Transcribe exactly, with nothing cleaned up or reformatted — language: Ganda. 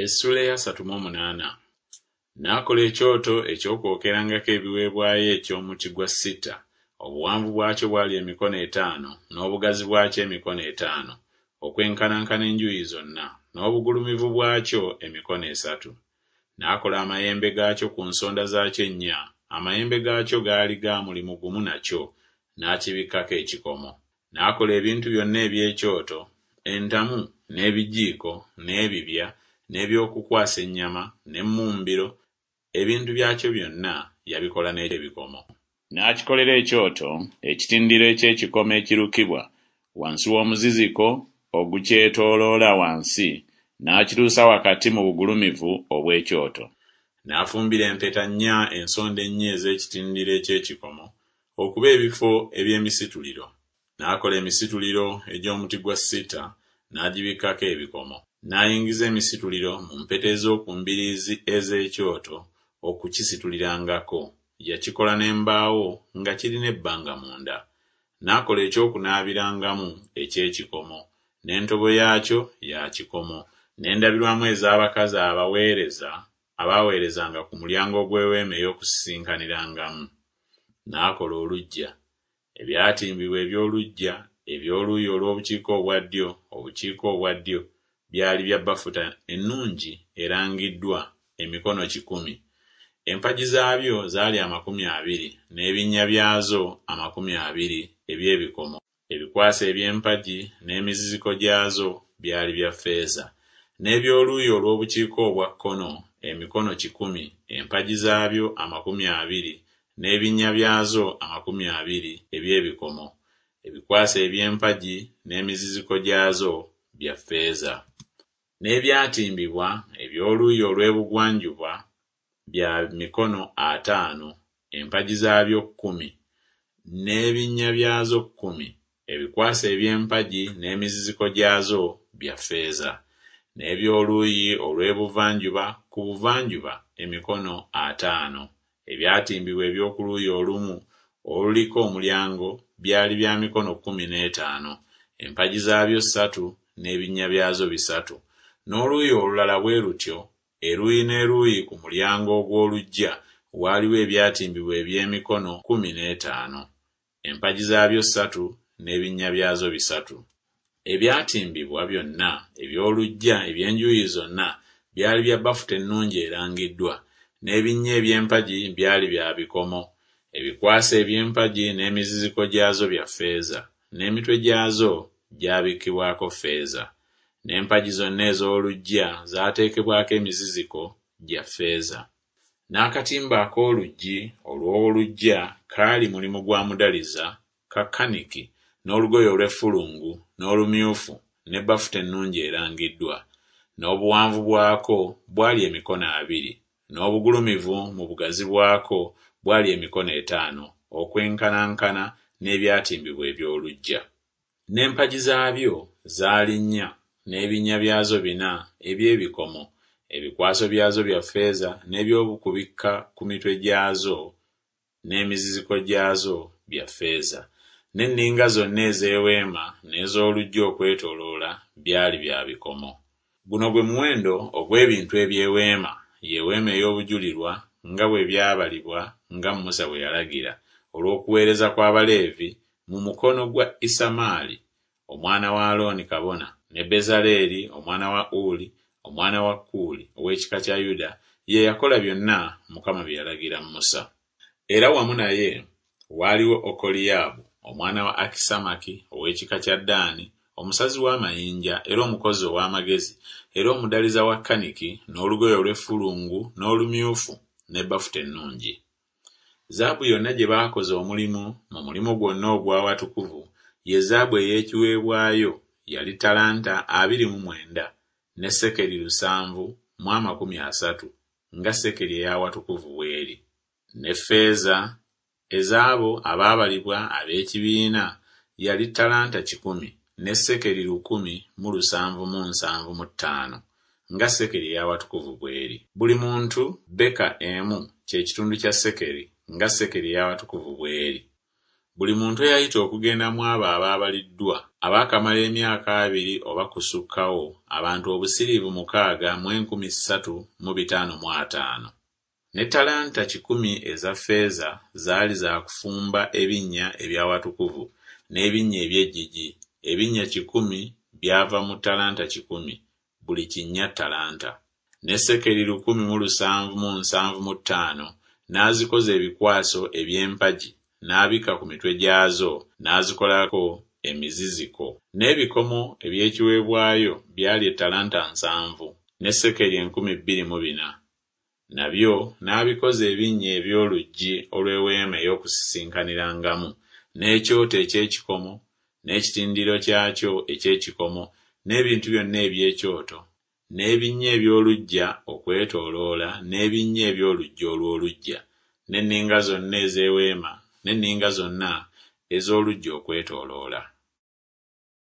Essuula ey'asatu mu omunaana. N'akola ekyoto eky'okwokerangako ebiweebwayo eky'omuti gwa sita, obuwanvu bwakyo bwali emikono etaano, n'obugazi bwakyo emikono etaano, okwenkanankana enjuuyi zonna, n'obugulumivu bwakyo emikono esatu. N'akola amayembe gaakyo ku nsonda zaakyo ennya, amayembe gaakyo gaali ga mulimu gumu nakyo, n'akibikkako ekikomo. N'akola ebintu byonna eby'ekyoto, entamu, n'ebijiiko, n'ebibya, n'eby'okukwasa ennyama, n'emmumbiro, ebintu byakyo byonna yabikola n'ebikomo. N'akikolera ekyoto ekitindiro eky'ekikomo ekirukibwa, wansi w'omuziziko ogukyetooloola wansi, n'akituusa wakati mu bugulumivu obw'ekyoto. N'afumbira empeta nnya ensonda ennya ez'ekitindiro eky'ekikomo, okuba ebifo eby'emisituliro. N'akola emisituliro egy'omuti gwa sita, n'agibikkako ebikomo. N'ayingiza emisituliro mu mpeta ez'oku mbiriizi ez'ekyoto okukisitulirangako. Yakikola n'embaawo nga kirina ebbanga munda. N'akola eky'okunaabirangamu eky'ekikomo, n'entobo yaakyo ya kikomo, n'endabirwamu ez'abakazi abaweereza abaaweerezanga ku mulyango gw'eweema ey'okusisinkanirangamu. N'akola oluggya. Ebyatimbibwa eby'oluggya eby'oluuyi olw'obukiika obwa ddyo obukiika obwa ddyo byali bya bafuta ennungi erangiddwa, emikono kikumi. Empagi zaabyo zaali amakumi abiri, n'ebinnya byazo amakumi abiri eby'ebikomo. Ebikwaso eby'empagi n'emiziziko gyazo byali bya ffeeza. N'eby'oluuyi olw'obukiika obwa kkono emikono kikumi, empagi zaabyo amakumi abiri, n'ebinnya byazo amakumi abiri eby'ebikomo, ebikwaso eby'empagi n'emiziziko gyazo bya ffeeza. N'ebyatimbibwa eby'oluuyi olw'ebugwanjuba bya mikono ataano, empagi zaabyo kkumi, n'ebinnya byazo kkumi, ebikwaso eby'empagi n'emiziziko gyazo bya ffeeza. N'eby'oluuyi olw'ebuvanjuba ku buvanjuba emikono ataano, ebyatimbibwa eby'oku luuyi olumu oluliko omulyango byali bya mikono kkumi n'etaano, empagi zaabyo ssatu n'ebinnya byazo bisatu. N'oluuyi olulala bwe lutyo, eruuyi n'eruuyi ku mulyango ogw'oluggya waaliwo ebyatimbibwa eby'emikono kkumi n'etaano, empagi zaabyo ssatu n'ebinnya byazo bisatu. Ebyatimbibwa byonna eby'oluggya eby'enjuuyi zonna byali bya bafuta ennungi erangiddwa, n'ebinnya eby'empagi byali bya bikomo, ebikwaso eby'empagi n'emiziziko gyazo bya ffeeza, n'emitwe gyazo gyabikkibwako ffeeza. N'empagi zonna ez'oluggya zaateekebwako emiziziko gya ffeeza. N'akatimba ak'oluggi olw'oluggya kaali mulimu gwa mudaliza ka kaniki n'olugoye olw'effulungu n'olumyufu ne bafuta ennungi erangiddwa. N'obuwanvu bwako bwali emikono abiri, n'obugulumivu mu bugazi bwako bwali emikono etaano, okwenkanankana n'ebyatimbibwa eby'oluggya. N'empagi zaabyo zaali nnya, n'ebinnya byazo bina eby'ebikomo, ebikwaso byazo bya ffeeza, n'eby'okubikka ku mitwe gyazo n'emiziziko gyazo bya ffeeza. N'enninga zonna ez'eweema n'ez'oluggya okwetooloola byali bya bikomo. Guno gwe muwendo ogw'ebintu eby'eweema, ye weema ey'obujulirwa, nga bwe byabalibwa nga Musa bwe yalagira, olw'okuweereza kw'Abaleevi mu mukono gwa Isamaali omwana wa Alooni kabona, ne Bezaleeri omwana wa Uli omwana wa Kuuli ow'ekika kya Yuda, ye yakola byonna Mukama bye yalagira Musa. Era wamu naye waaliwo Okoliyaabu omwana wa Akisamaki ow'ekika kya Ddaani, omusazi w'amayinja era omukozi ow'amagezi era omudaliza wa kaniki n'olugoye olw'effulungu n'olumyufu ne bafuta ennungi. Zaabu yonna gye baakoza omulimu mu mulimu gwonna ogw'awatukuvu, ye zaabu ey'ekiweebwayo yali ttalanta abiri mu mwenda ne sekeri lusanvu mu amakumi asatu, nga sekeri ey'awatukuvu bw'eri. Ne ffeeza ez'abo abaabalibwa ab'ekibiina yali ttalanta kikumi ne sekeri lukumi mu lusanvu mu nsanvu mu ttaano, nga sekeri ey'awatukuvu bw'eri. Buli muntu beka emu kye kitundu kya sekeri, nga sekeri ey'awatukuvu bw'eri. Buli muntu eyayita okugenda mu abo abaabaliddwa, abaakamala emyaka abiri oba kusukkawo, abantu obusiriivu mukaaga mu enkumi ssatu mu bitaano mu ataano. Ne ttalanta kikumi eza ffeeza zaali za kufumba ebinnya eby'awatukuvu n'ebinnya eby'eggigi, ebinnya kikumi byava mu ttalanta kikumi, buli kinnya ttalanta. Ne sekeri lukumi mu lusanvu mu nsanvu mu ttaano n'azikoza ebikwaso eby'empagi n'abikka ku mitwe gyazo n'azikolako emiziziko. N'ebikomo eby'ekiweebwayo byali ettalanta nsanvu, ne sekeri enkumi bbiri mu bina. Nabyo n'abikoza ebinnya eby'oluggi olw'eweema ey'okusisinkanirangamu, n'ekyoto eky'ekikomo, n'ekitindiro kyakyo eky'ekikomo, n'ebintu byonna eby'ekyoto, n'ebinnya eby'oluggya okwetooloola n'ebinnya eby'oluggi olw'oluggya, n'enninga zonna ez'eweema, n'enninga zonna ez'oluggya okwetooloola.